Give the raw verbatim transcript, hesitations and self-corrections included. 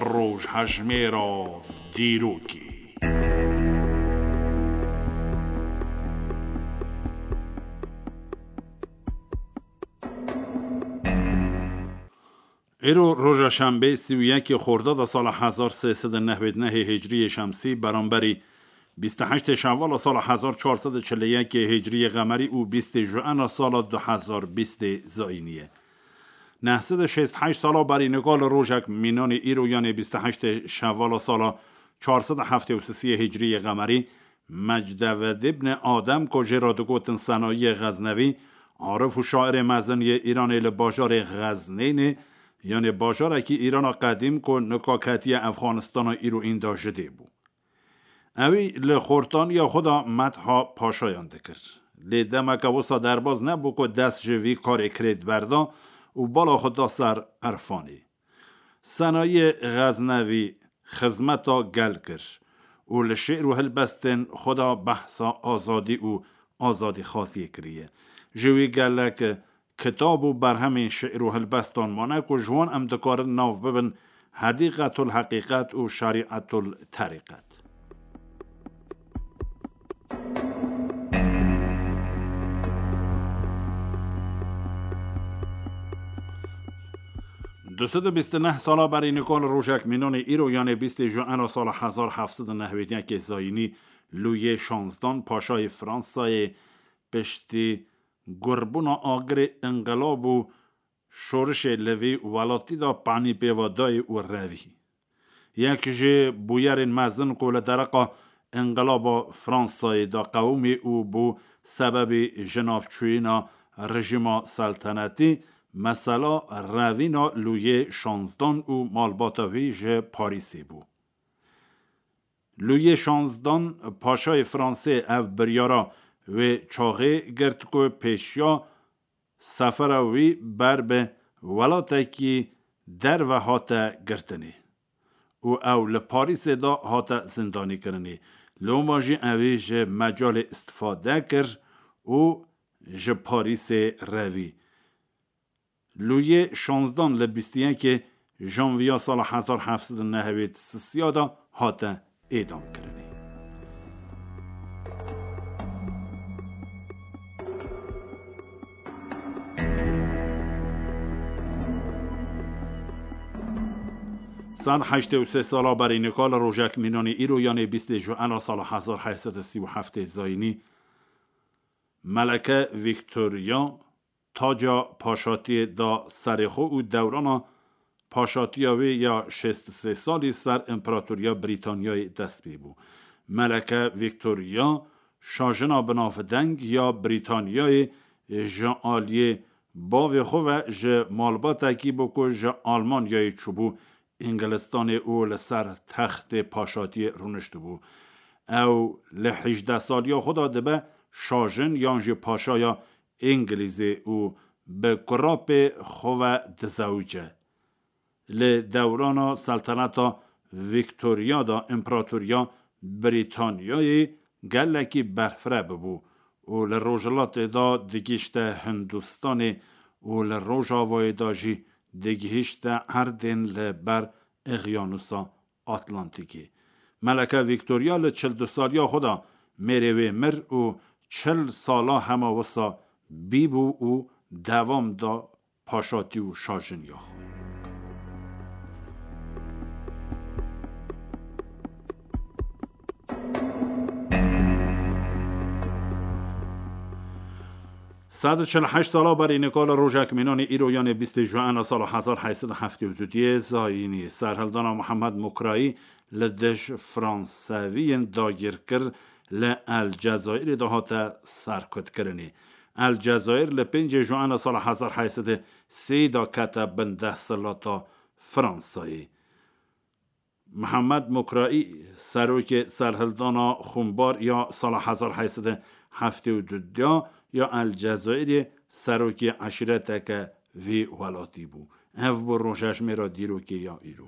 Rojhejmêra dîrokê. Îro roja şembê, sî û yekê xordada sala hezar sê sed û nehwêd nehê hicriyê şemsî, beramberî bîst û heştê şewala sala hezar çar sed û çil û yekê hicriyê qemerî û bîstê juena sala du hezar bîstê zayînî ye. Neh sed û şêst û heşt sala berî nika li rojek mînanê îro, yanê bîst û heştê şewala sala çar sed û heftê û sisiyê hicriyê qemerî, Mecdeved îbn Adem, ku jê re digotin Senayiyê Xeznevî, arif û şairê mezin yê Îranê, li bajarê Xeznênê, yanê bajarekî Îrana qedîm ku nika ketiye Efxanistana îro, înda ji dê bû. Ewî li xortaniya xwe de metha paşayan dikir. Lê demeke wisa derbaz nebû ku dest ji vî karê kirêt berda û bala xwe da ser irfanê. Senayê Xeznevî xizmeta gel kir û li şi'r û hilbestên xwe de behsa azadî û azadîxwaziyê kiriye. Ji wî gelek kitab û berhemên şi'r û hilbestan mane ku ji wan em dikarin nav bibin Hedîqetul Heqîqet û Şerîetul Terîqet. Du sed û bîst û neh sala berî nika li rojek mînanê îro, yanê bîstê juena sala hezar heft sed û nehwêd yekê zayînî, Luyê şanzdan, paşayê Fransayê, piştî gurbûna agirê înqilab û şorişê li vî welatî de panî pê ve dayê û revî. Yek ji bûyerên mezin ku li dereqa înqilaba Fransayê de qewimî û bû sebebî jinavçûyîna rejîma seltenetî, mesela revîna Luyê şanzdan û malbata wî ji Parîsê bû. Luyê şanzdan, paşayê Fransê, ev biryara wê çaxê girt ku pêşiya sefera wî ber bi welatekî derve hate girtinê û ew li Parîsê de hate zindanîkirinê. Loma jî ewî ji mecalê îstifade kir û ji Parîsê revî. Luyê şanzdan li bîst û yekê janviya sala hezar heft sed û nehwêd sisiya de hate êdamkirinê. Sed heştê û sê sala berî nika li rojek mînanê îro, yanê bîstê juena sala hezar heyt sed û sî û heftê zayînî, Meleke Victoria taca paşatiyê da serê xwe û dewrana paşatiya wê ya şêst û sê salî ser Împaratoriya Brîtanyayê dest pê bû. Meleke Victoria, şajina binavdeng ya Brîtanyayê, ji aliyê bavê xwe ve ji malbatekî bû ku ji Almanyayê çûbû Îngilistanê û li ser textê paşatiyê rûniştibû. Ew li hejdeh saliya xwe de dibe şajin yan jî paşaya Îngilîzê û bi kurapê xwe ve dizewice. Li dewrana selteneta Victoria de Împaratoriya Brîtanyayê gelekî berfireh bûbû û li rojhilatê de digihîşte Hindistanê û li rojavayê de jî digihîşte erdên li ber Eqyanusa Atlantîkê. Meleke Victoria li çil du saliya xwe de mêrê wê mir û çil sala hema wisa bîbû û devam da paşatî û şajiniya xwe. Sed û çil û heşt sala berî nika li rojek mînanê îro, yanê bîstê juena sala hezar heyt sed û heftê û du diyê zayînî, serhildana Mihemed Mukrayî li dij Franseviyên dagirkir li El Cezayirê de hate serkutkirinê. El Cezayir li pêncê juena sala hezar heyt sed û sê de kete bin desthilata Fransayê. Mihemed Mukraî, serokê serhildana xwimbar ya sala hezar heyt sed û heftê û du ya El Cezayirê, serokê eşîreteke vî welatî bû. Ev bû rojhejmêra dîrokê ya îro.